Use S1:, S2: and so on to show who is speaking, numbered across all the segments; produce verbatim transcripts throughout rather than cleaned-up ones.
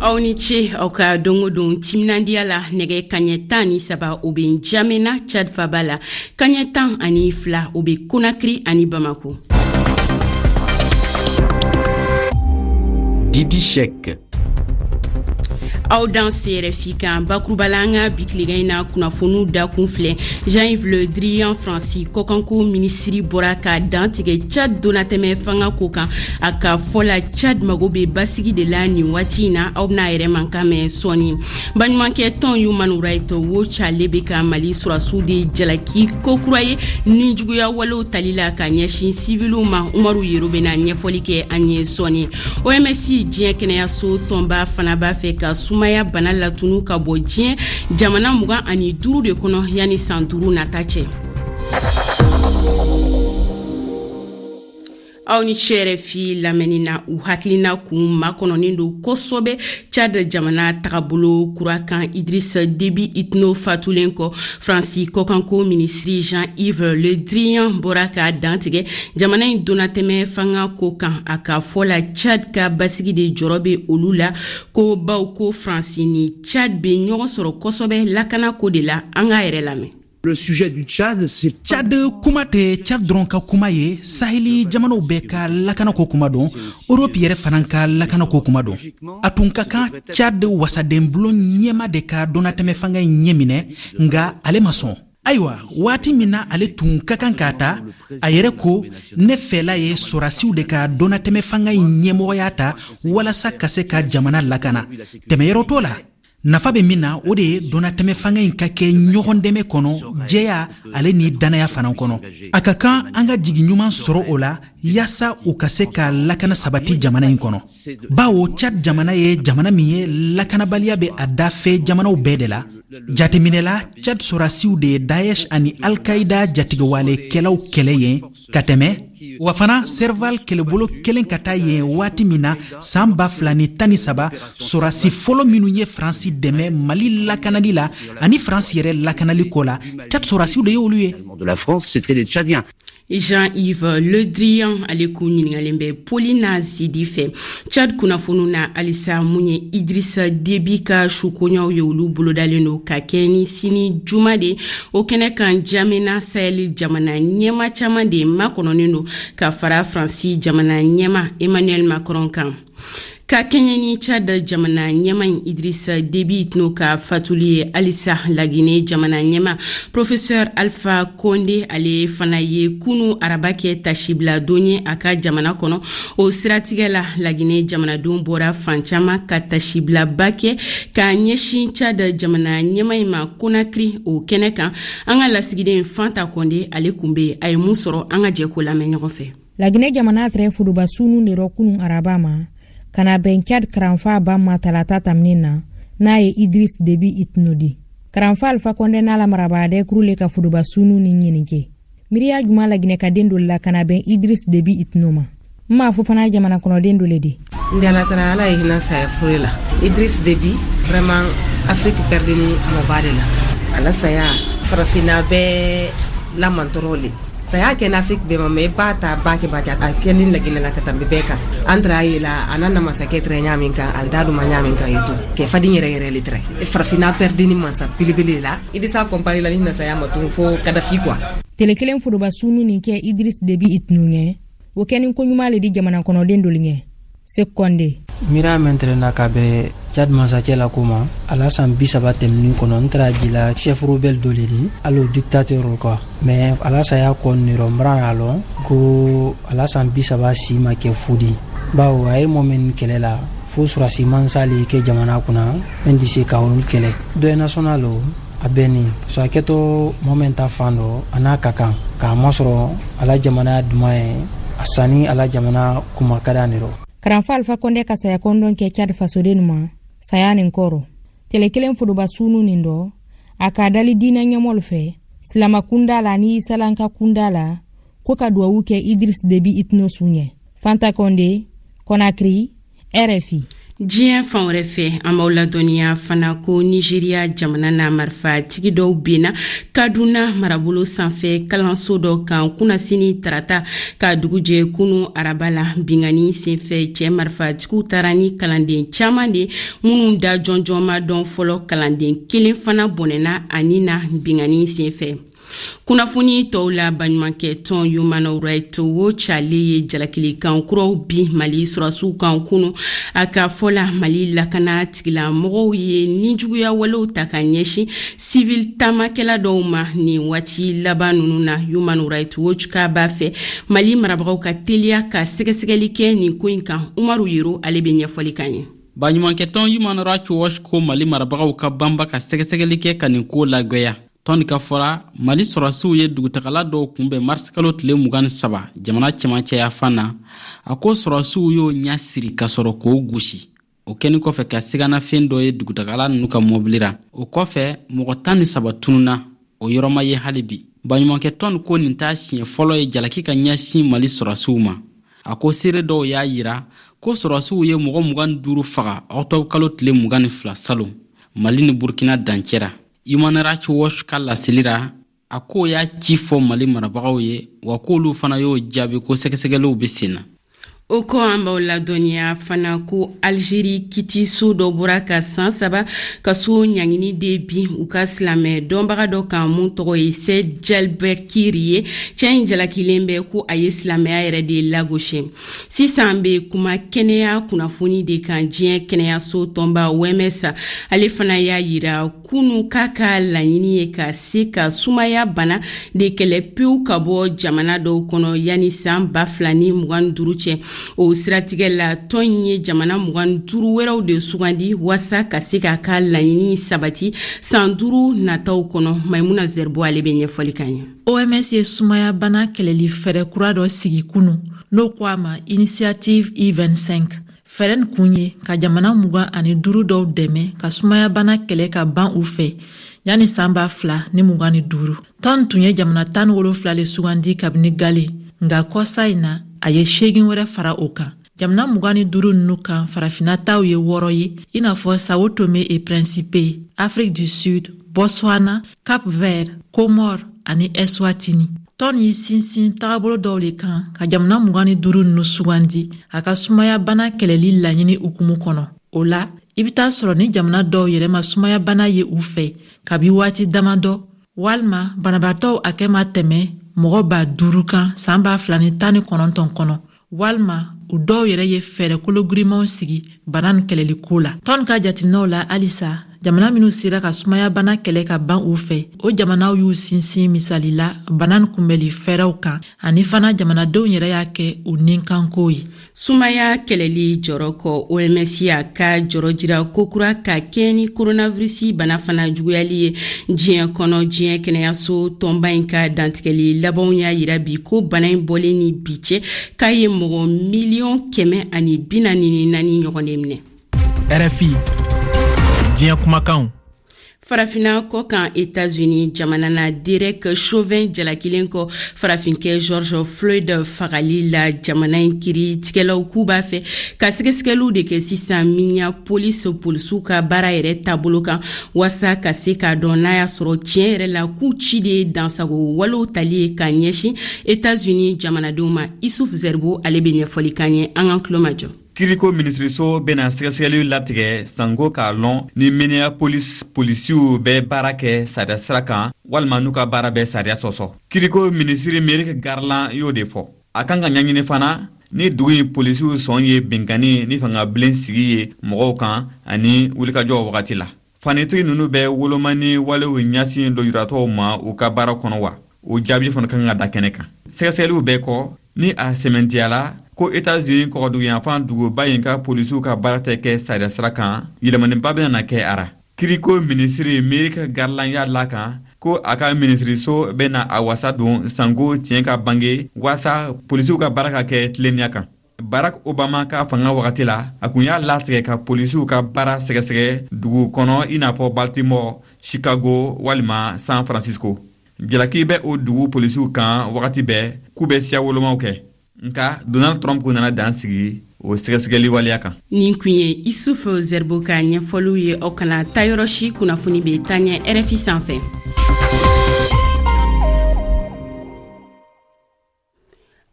S1: Aw ni ce aw ka don o don timinandiya la. Nɛgɛ kaɲɛ tan ni saba, o bɛ Njamena, Tchad faba la. Kaɲɛ tan ani fila, o bɛ Konakiri ani Bamako.
S2: Didi Cheick.
S1: Aw danse R F I kan. Bakuruba la, an ka bi tilegan in na kunnafoniw dakun filɛ: Jean-Yves Le Drian, Faransi kɔkanko minisiri, bɔra ka dantigɛ Tchad donnatɛmɛ fanga ko kan. A ka fɔ la, Tchad mago bɛ basigi de la nin waati in na. Aw bɛna yɛrɛ mankan mɛn sɔɔni. Baɲumankɛ tɔn Human Rights Watch, ale bɛ ka Mali sɔrɔdasiw de jalaki kokura ye nijuguya walew tali la ka ɲɛsin siviliw ma. Umaru Yero bɛna ɲɛfɔli kɛ an ye sɔɔni. O M S, diɲɛ kɛnɛyaso tɔnba fana b'a fɛ ka sumaya bana latunu ka bɔ diɲɛ jamana mugan ani duuru de kɔnɔ yanni san duuru nata cɛ. Aw ni ce R F I lamɛnni na. U hakilina kun makɔnɔnin don kosɔbɛ Tchad jamana tagabolo kura kan, Idriss Déby Itno fatulen kɔ. Faransi kɔkanko minisiri Jean-Yves Le Drian bɔra ka dantigɛ jamana in donnatɛmɛ fanga ko kan. A ka fɔ la, Tchad ka basigi de jɔrɔ bɛ olu la ko baw ko Faransi ni Tchad bɛ ɲɔgɔn sɔrɔ kosɛbɛ lakana ko de la. An k'a yɛrɛ lamɛn.
S3: Le sujet du Tchad, c'est
S4: Tchad kuma tɛ Tchad dɔrɔn ka kuma ye. Saheli jamanaw bɛɛ ka lakanako kuma don, Europe yɛrɛ fana ka lakanako kuma don. A tun ka kan Tchad wasadenbulon ɲɛma de ka donnatɛmɛ fanga in ɲɛ minɛ, nga ale ma sɔn. Ayiwa, waati min na ale tun ka kan k'a ta, a yɛrɛ ko: ne fɛla ye sɔrasiw de ka donnatɛmɛ fanga in ɲɛmɔgɔya ta walasa ka se ka jamana lakana. Tɛmɛyɔrɔ t'o la. Nafa bɛ min na, o de ye donnatɛmɛ fanga in ka kɛ ɲɔgɔn dɛmɛ kɔnɔ, jɛya ale ni dannaya fana kɔnɔ. A ka kan an ka jigi ɲuman sɔrɔ o la yaasa u ka se ka lakana sabati jamana in kɔnɔ, bawo Tchad jamana ye jamana min ye, lakanabaliya bɛ a dafɛ jamanaw bɛɛ de la. Jateminɛ la, Tchad sɔrasiw de ye Daesh ani Alkaïda jatigɛwalekɛlaw kɛlɛ yen ka tɛmɛ. Wa fana, Serval kɛlɛbolo kelen ka taa yen waati min na saan ba fila ni tan ni saba, sɔrasi fɔlɔ minnu ye Faransi dɛmɛ Mali lakanali la ani Faransi yɛrɛ lakanali ko la, Tchad sɔrasiw de ye olu ye.
S3: De la France, c'était les Tchadiens.
S1: Jean-Yves Le Drian, ale kun ɲiningalen bɛ Paulina Zidi fɛ. Tchad kunnafoniw na halisa, mun ye Idrissa Déby ka sukoɲaw ye, olu bolodalen don ka kɛ ni sini juma de. O kɛnɛ kan, Jamena, Sahel jamana ɲɛma caman de makɔnɔnen don ka fara Faransi jamana ɲɛma Emmanuel Macron kan. Ka kɛɲɛ ni Tchad jamana ɲɛma in Idrissa Déby Itno ka fatuli ye halisa, Lagine jamana ɲɛma Professeur Alpha Condé, ale fana ye kunu araba kɛ tasibila don ye a ka jamana kɔnɔ. O siratigɛ la, Lagine jamanadenw bɔra fan caman ka tasibilaba kɛ ka ɲɛsin Tchad jamana ɲɛma in ma Konakiri. O kɛnɛ kan, an ka lasigiden Fanta Kɔnde, ale kun be. A ye mun sɔrɔ? An ka jɛ ko lamɛn ɲɔgɔn fɛ.
S5: Laginɛ jamana tɛrɛ foroba sunu de rɔ kunun araba ma ka na bɛn Tchad karanfa ba ma talata taminin na, n'a ye Idris Debi Itno di. Karanfa Alfa Kɔndɛ n'a la marabaa kuru le ka foroba sunu ni ɲininke miiriya juman Laginɛ ka den dɔ la ka na bɛn Idris Debi Itno ma. N m'a fɔ fana jamana kɔnɔden dɔ le di.
S6: Ndi ala tara, ala ye hinɛ saya fure la. Idris Debi, vraiment, Afrique perdini mɔba de la. Ala saya farafinna bɛɛ lamantɔrɔ le. Saya kɛ n'Afrique bɛɛ ma, mais ba ta ba kɛ ba kɛ a kɛ ni Laginɛ la ka tanbi bɛɛ kan. An tara ye la a n'a na masakɛ tɛrɛ ɲa min kan, al da duma ɲa min kan ye to kɛ faden yɛrɛ yɛrɛ le tɛrɛ. Farafinna perdini mansa belebele la. I di sa comparer la ni na saya ma tun fo Kadafi quoi.
S5: Tele kelen foroba sunu nin kɛ Idris Debi Itno ɲɛ, o kɛni koɲuman le di jamana kɔnɔden dolu ɲɛ. Sek Kɔnde.
S7: Miiriya min tɛrɛ na ka bɛn Tchad masakɛ la ko ma, a la san bi saba tɛmɛnin kɔnɔ, n tɛra jila chef rebelle dɔ le di, hali o dictateur quoi. Mais a la saya kɔ nirɔ, n bara k'a lɔn ko a la san bi saba si ma kɛ fu di, bawo a ye mɔ min kɛlɛ la fo surasi mansa le kɛ jamana kunna min di se ka olu kɛlɛ. Deuil national o a bɛɛ ni parce que a kɛtɔ mɔ min ta fan dɔ, a n'a ka kan k'a masɔrɔ a la jamana duman ye a sanni a la jamana kuma ka d'a rɔ.
S5: Karanfa Alfa Kɔndɛ ka saya kɔndɔn kɛ Tchad fasoden ma saya nin kɔrɔ tele kelen foroba sunu nin dɔ, a k'a dali diinɛ ɲɛmɔlu fɛ, silama kunda la ni isalanka kunda la, ko ka duwawu kɛ Idris Debi Itno su ɲɛ. Fanta Kɔnde, Kɔnakiri, R F I.
S1: Diɲɛ fan wɛrɛ fɛ, an b'aw ladɔnniya fana ko Nigeriya jamana na, marifatigi dɔw benna Kaduna marabolo sanfɛ kalanso dɔ kan kunnasini tarata ka dugu jɛ kunu araba la. Binkanni senfɛ, cɛ marifatigiw taara ni kalanden caman de minnu da jɔnjɔn ma dɔn fɔlɔ. Kalanden kelen fana bɔnɛna a ni na binkanni senfɛ. Kunnafoni tɔw la, baɲumankɛ tɔn Human Rights Watch, ale ye jalakilikan kuraw bi Mali sɔrɔdasiw kan kunu. A ka fɔ la, Mali lakana tigilamɔgɔw ye nijuguya walew ta ka ɲɛsin civil taamakɛla dɔw ma nin waati laban ninnu na. Human Rights Watch k'a b'a fɛ Mali marabagaw ka teliya ka sɛgɛsɛgɛli kɛ nin ko in kan. Umaru Yero, ale bɛ ɲɛfɔli kan ye.
S2: Baɲumankɛtɔn Human Rights Watch ko Mali marabagaw ka banba ka sɛgɛsɛgɛli kɛ ka nin ko lagwɛya. Tɔn ka fɔra, Mali sɔrɔdasiw ye dugutagala dɔw kunbɛn marisikalo tile mugan ni saba jamana cɛmancɛyafan na. A ko sɔrɔdasiw y'o ɲɛ siri ka sɔrɔ k'o gosi. O kɛni kɔfɛ ka siganafɛn dɔ ye dugutagala ninnu ka mɔbili ra. O kɔfɛ, mɔgɔ tan ni saba tununa, o yɔrɔ ma ye hali bi. Baɲumankɛtɔn ko nin t'a siɲɛ fɔlɔ ye jalaki ka ɲɛsin Mali sɔrɔdasiw ma. A ko seere dɔw y'a yira ko sɔrɔdasiw ye mɔgɔ mugan ni duuru faga ɔkutɔbu kalo tile mugan ni fila salon, Mali ni Burkina dancɛ ra. Human Rights Watch ka laseli ra, a k'o y'a ci fɔ Mali marabagaw ye, wa k'olu fana y'o jaabi ko sɛgɛsɛgɛliw bɛ sen na.
S1: O kɔ, an b'aw ladɔnniya fana ko Algérie kitiso dɔ bɔra ka san saba kaso ɲangini de bin u ka silamɛ dɔnbaga dɔ kan mun tɔgɔ ye Said Djalbekiri ye. Cɛ in jalakilen bɛ ko a ye silamɛya yɛrɛ de lagosi. Sisan bɛ kuma kɛnɛya kunnafoni de kan. Diɲɛ kɛnɛyaso tɔnba O M S, ale fana y'a yira kunu k'a ka laɲini ye ka se ka sumaya bana de kɛlɛ pewu ka bɔ jamana dɔw kɔnɔ yanni san ba fila ni mugan duuru cɛ. O siratigɛ la, tɔn in ye jamana mugan duuru wɛrɛw de sugandi waasa ka se k'a ka laɲini sabati san duuru nataw kɔnɔ. Maimuna Zerbo, ale bɛ ɲɛfɔli kan ye.
S8: O M S ye sumaya bana kɛlɛli fɛɛrɛ kura dɔ sigi kunu, n'o ko a ma Initiative I vingt-cinq. Fɛɛrɛ nin kun ye ka jamana mugan ani duuru dɔw dɛmɛ ka sumaya bana kɛlɛ ka ban u fɛ yanni san ba fila ni mugan ni duuru. Tɔn tun ye jamana tan ni wolonfila le sugandi kabini gale, nka kɔsa in na, a ye seegin wɛrɛ fara o kan. Jamana mugan ni duuru nunu kan, farafinna taw ye wɔɔrɔ ye, i n'a fɔ Sao Tome et Principe, Afrique du Sud, Botswana, Cap Vert, Comore ani Eswatini. Tɔn y'i sinsin tagabolo dɔw le kan ka jamana mugan ni duuru nunu sugandi a ka sumaya bana kɛlɛli laɲini hukumu kɔnɔ. O la, i be taa sɔrɔ ni jamana dɔw yɛrɛ ma sumaya bana ye u fɛ kabi waati damadɔ, walima banabaatɔw hakɛ ma tɛmɛ mɔgɔ ba duuru kan saan ba fila ni tan ni kɔnɔntɔn kɔnɔ, walima u dɔw yɛrɛ ye fɛɛrɛ kologirimanw sigi bana nin kɛlɛli ko la. Tɔn ka jateminɛw la, halisa jamana minw sera ka sumaya bana kɛlɛ ka ban u fɛ, o jamanaw y'u sinsin misali la bana nin kunbɛli fɛɛrɛw kan, ani fana jamanadenw yɛrɛ y'a kɛ u nikanko ye.
S1: Sumaya kɛlɛli jɔrɔ kɔ, O M S y'a ka jɔrɔ jira kokura ka kɛ ni koronavirisi bana fana juguyali ye diɲɛ kɔnɔ. Diɲɛ kɛnɛyaso tɔnba in ka dantigɛli labanw y'a yira bi ko bana in bɔlen ni bi cɛ, k'a ye mɔgɔ miliyɔn kɛmɛ ani bi naani ni naani ɲɔgɔn de minɛ.
S9: R F I, diɲɛ kumakanw.
S1: Farafina kɔ kan, Etats-Unis jamana na, Derek Chauvin jalakilen kɔ farafinkɛ George Floyd fagali la, jamana in kiri tigɛlaw k'u b'a fɛ ka sɛgɛsɛgɛliw de kɛ sisan Minneapolis polisiw ka baara yɛrɛ taabolo kan, waasa ka se k'a dɔn n'a y'a sɔrɔ tiɲɛ yɛrɛ la k'u ci de ye dansago walew tali ye ka ɲɛsin Etats-Unis jamanadenw ma. Isuf Zerbo, ale bɛ ɲɛfɔli kan ye. An k'an tulo majɔ.
S10: Kiriko minisiriso bena sɛgɛsɛgɛliw latigɛ sanko k'a lɔn ni Minneapolis polisiw bɛ baara kɛ sariya sira kan walima n'u ka baara bɛ sariya sɔsɔ. Kiriko minisiri Merrick Garland y'o de fɔ. A kan ka ɲaɲini fana ni dugu in polisiw sɔn ye binkanni ni fangabilen sigi ye mɔgɔw kan ani wulikajɔw wagati la. Fanitigi nunu bɛ wolomani walew ɲasin lujuratɔw ma u ka baara kɔnɔ wa? O jaabi fana kan ka da kɛnɛ kan. Sɛgɛsɛgɛliw bɛɛ kɔ, ni a sɛmɛntiyala ko Etats-Unis kɔgɔduguyanfan duguba in ka polisiw ka baara tɛ kɛ sariya sira kan, yɛlɛmaniba bɛna kɛ a ra. Kiriko minisiri Merrick Garland y'a la kan ko a ka minisiriso bɛna a wasa don sanko tiɲɛ ka bange waasa polisiw ka baara ka kɛ tilennenya kan. Barack Obama ka fanga wagati la, a kun y'a latigɛ ka polisiw ka baara sɛgɛsɛgɛ dugu kɔnɔ i n'a fɔ Baltimore, Chicago walima San Francisco. Jalaki bɛ o dugu polisiw kan wagati bɛɛ k'u bɛ siya wolomaw kɛ, nka Donald Trump nana dan sigi o. o sɛgɛsɛgɛli waleya kan.
S1: Nin kun ye Isuf Zerbo ka ɲɛfɔliw ye. Aw kana taa yɔrɔ si, kunnafoni bɛ taa ɲɛ R F I sanfɛ.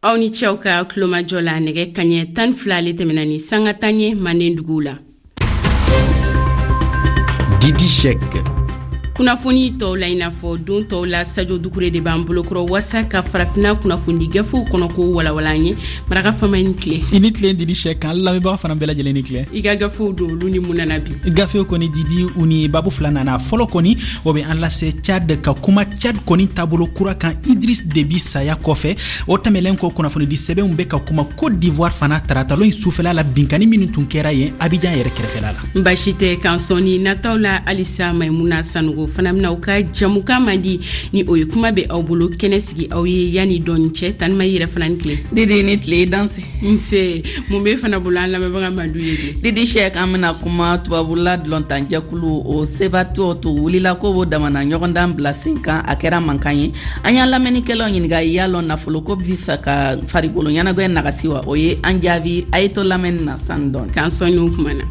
S1: Aw ni cɛw ka tulomajɔ la, nɛgɛ kaɲɛ tan fila ale tɛmɛna ni sanga tan ye manden duguw la.
S11: Didi Cheick.
S1: Kunnafoni tɔw la, i n'a fɔ don tɔw la, Sajo Dukure de b'an bolokɔrɔ waasa ka farafina kunnafoni gafew kɔnɔ ko walawala an ye. Maraka Fama, ni tile.
S4: I ni tilen, Didi Cheick. An lamɛnbaga fana bɛɛ lajɛlen ni tilen.
S1: I ka gafew don, olu ni mun nana bi?
S4: Gafew kɔni, Didi, u ni babu fila nana. Fɔlɔ kɔni, o bɛ an lase Tchad, ka kuma Tchad kɔni taabolo kura kan Idriss Déby saya kɔfɛ. O tɛmɛlen kɔ, kunnafonidi sɛbɛnw bɛ ka kuma Côte d'Ivoire fana, taratalon in sufɛla la, binkani minnu tun kɛra yen Abidjan yɛrɛ kɛrɛfɛla la.
S1: Basi tɛ. K'an sɔnni nataw la halisa, Maimuna Sanogo fana bɛna u ka jamukan man di ni o ye kuma bɛ aw bolo kɛnɛ sigi aw ye. Yanni dɔɔni cɛ, Tanima, i yɛrɛ fana ni tile.
S12: Didi, ni tile, danse.
S1: Nse. Mun b'e fana bolo an lamɛnbaga mandu ye bi?
S12: Didi Cheick, an bɛna kuma tubabula dulɔntanjɛkulu o sebatɔ to wulila ko b'o damana ɲɔgɔndan bila sen kan. A kɛra mankan ye. An y'an lamɛnnikɛlaw ɲininka y'a lɔn nafoloko bi fɛ ka farikolo ɲɛnagwɛ nagasi wa? O ye an jaabi. A ye to lamɛnni na sani dɔɔni.
S1: K'an sɔnni o kuma na.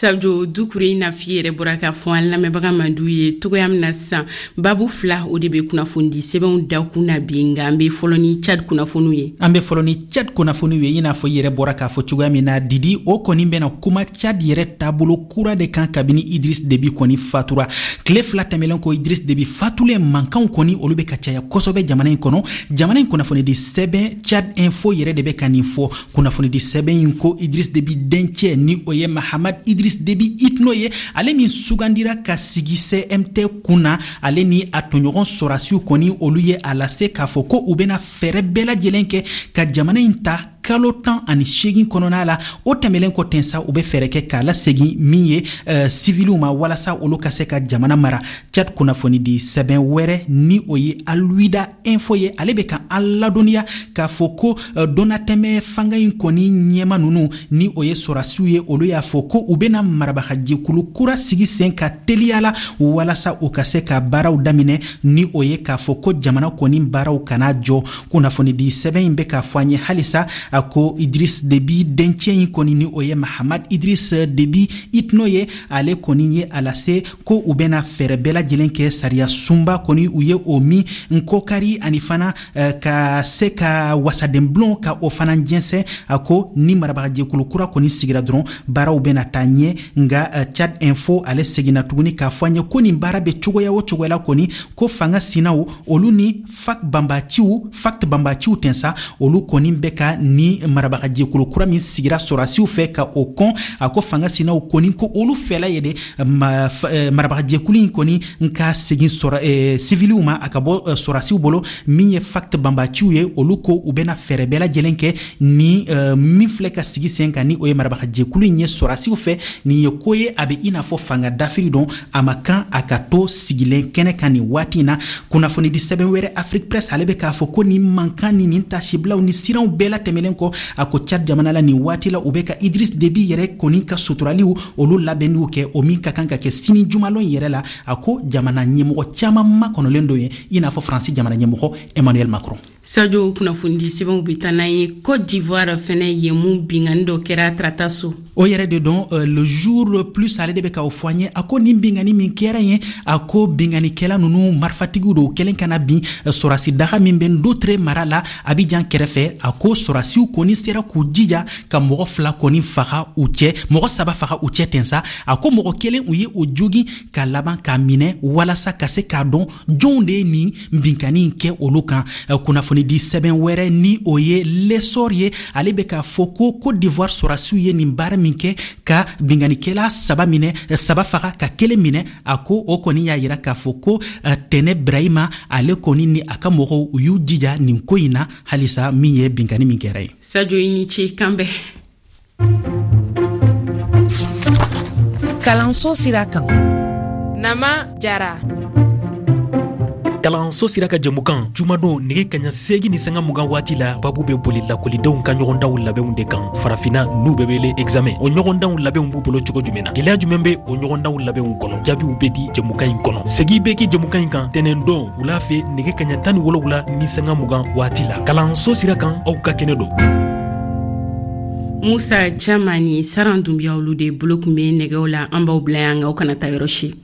S1: Sajo Dukure, i n'a f'i yɛrɛ bɔra k'a fɔ an lamɛnbaga mandu ye togoya min na sisan, babu fila o de bɛ kunnafonidi sɛbɛnw dakun na bi, nka an bɛ fɔlɔ ni Tchad kunnafoniw ye.
S4: An bɛ fɔlɔ ni Tchad kunnafoniw ye. I n'a fɔ i yɛrɛ bɔra k'a fɔ cogoya min na, Didi, o kɔni bɛna kuma Tchad yɛrɛ taabolo kura de kan kabini Idriss Déby kɔni fatura. Tile fila tɛmɛlen kɔ Idriss Déby fatulen, mankanw kɔni olu bɛ ka caya kosɛbɛ jamana in kɔnɔ. Jamana in kunnafonidi sɛbɛn Tchad Info yɛrɛ de bɛ ka nin fɔ. Kunnafonidi sɛbɛn in ko Idriss Déby dencɛ, ni o ye Mahamad Idriss Déby Itno ye, ale min sugandira ka sigi C M T kun na, ale ni a tɔɲɔgɔn sɔrasiw kɔni olu ye a lase k'a fɔ ko u bɛna fɛɛrɛ bɛɛ lajɛlen kɛ ka jamana in ta kalo tan ani seegin kɔnɔna la. O tɛmɛlen kɔ ten sa, u bɛ fɛɛrɛ kɛ k'a lasegin min ye uh, siviliw ma walasa olu ka se ka jamana mara. Tchad kunnafonidi sɛbɛn wɛrɛ, ni o ye Alwida Info ye, ale bɛ ka an ladɔnniya k'a fɔ ko uh, donnatɛmɛ fanga in kɔni ɲɛma ninnu, ni o ye sɔrasiw ye, olu y'a fɔ ko u bɛna marabagajɛkulu kura sigi sen ka teliya la walasa u ka se ka baaraw daminɛ, ni o ye k'a fɔ ko jamana kɔni baaraw kana jɔ. Kunnafonidi sɛbɛn in bɛ k'a fɔ an ye halisa, a ko Idriss Déby dencɛ in kɔni, ni o ye Mahamad Idriss Déby Itno ye, ale kɔni ye a lase ko u bɛna fɛɛrɛ bɛɛ lajɛlen kɛ sariya sunba kɔni u ye o min nkɔkari, ani fana uh, ka se ka wasadenbulon ka o fana jɛnsɛn. A ko ni marabagajɛkulu kura kɔni sigira dɔrɔn, baaraw bɛna taa ɲɛ. Nka uh, Tchad Info ale seginna tuguni k'a fɔ an ye ko nin baara bɛ cogoya o cogoya la kɔni, ko fanga sinaw olu ni F A C banbaciw, F A C T banbaciw tɛ sa, olu kɔni bɛ ka ni marabagajɛkulu kura min sigira sɔrasiw fɛ ka o kɔn. A ko fanga sinaw kɔni ko olu fɛla ye de marabagajɛkulu in kɔni ka segin sɔrɔ siviliw ma, a ka bɔ sɔrasiw bolo. Min ye F A C T banbaciw ye, olu ko u bɛna fɛɛrɛ bɛɛ lajɛlen kɛ ni min filɛ ka sigi sen kan, ni o ye marabagajɛkulu in ye sɔrasiw fɛ. Nin ye ko ye a bɛ i n'a fɔ fanga dafiri dɔn, a ma kan a ka to sigilen kɛnɛ kan nin waati in na. Kunnafonidi sɛbɛn wɛrɛ, Afrique Presse, ale bɛ k'a fɔ ko nin mankan ni nin tasibilaw ni siranw bɛɛ la tɛmɛlen kɔ, a ko Tchad jamana la nin waati la, u bɛ ka Idriss Déby yɛrɛ kɔni ka suturaliw olu labɛnniw kɛ, o min ka kan ka kɛ sini jumalon yɛrɛ la. A ko jamana ɲɛmɔgɔ caman makɔnɔlen don ye, i n'a fɔ Faransi jamana ɲɛmɔgɔ Emmanuel Macron.
S1: Sajo, kunnafonidi sɛbɛnw bɛ taa n'an ye Côte d'Ivoire fɛnɛ ye. Mun bingani dɔ kɛra tarata so?
S4: O yɛrɛ de dɔn, uh, Le Jour Plus ale de bɛ k'o fɔ an ye. A ko nin bingani min kɛra yen, a ko binganikɛla ninnu marifatigiw don kɛlen ka na bin sɔrasi daga min bɛ Ndotre mara la Abidjan kɛrɛfɛ. A ko sɔrasiw kɔni sera k'u jija ka mɔgɔ fila kɔni faga u cɛ, mɔgɔ saba faga u cɛ ten sa. A ko mɔgɔ kelen, u ye o jogin ka laban k'a minɛ walasa ka se k'a dɔn jɔnw de ye nin binkani in kɛ olu kan. Kunnafonidi sɛbɛn wɛrɛ, ni o ye L'Essor ye, ale bɛ k'a fɔ ko Côte d'Ivoire sɔrasiw ye nin baara min kɛ ka binganikɛla saba minɛ, saba faga ka kelen minɛ, a ko o kɔni y'a yira k'a fɔ ko Tɛnɛ Brahima ale kɔni ni a ka mɔgɔw u y'u jija nin ko in na halisa, min ye binkani min kɛra ye.
S1: Sajo, i ni ce, kan bɛn.
S13: Kalanso sira kan.
S14: Nama Jara.
S9: Kalanso sira ka jɛmukan, jumadon nɛgɛ kaɲa seegin ni sanga mugan waati la, babu bɛ boli lakɔlidenw ka ɲɔgɔndanw labɛnw de kan Farafina, n'u bɛ wele examen. O ɲɔgɔndanw labɛnw b'u bolo cogo jumɛn na? Gwɛlɛya jumɛn bɛ o ɲɔgɔndanw labɛnw kɔnɔ? Jaabiw bɛ di jɛmukan in kɔnɔ. Segi bɛ kɛ jɛmukan in kan tɛnɛndon wula fɛ, nɛgɛ kaɲa tan ni wolonwula ni sanga mugan waati la. Kalanso sira kan, aw ka kɛnɛ don.
S1: Musa Cama ni Saran Dunbiya, olu de bolo tun bɛ nɛgɛw la. An b'aw bila yan, aw kana taa yɔrɔ si.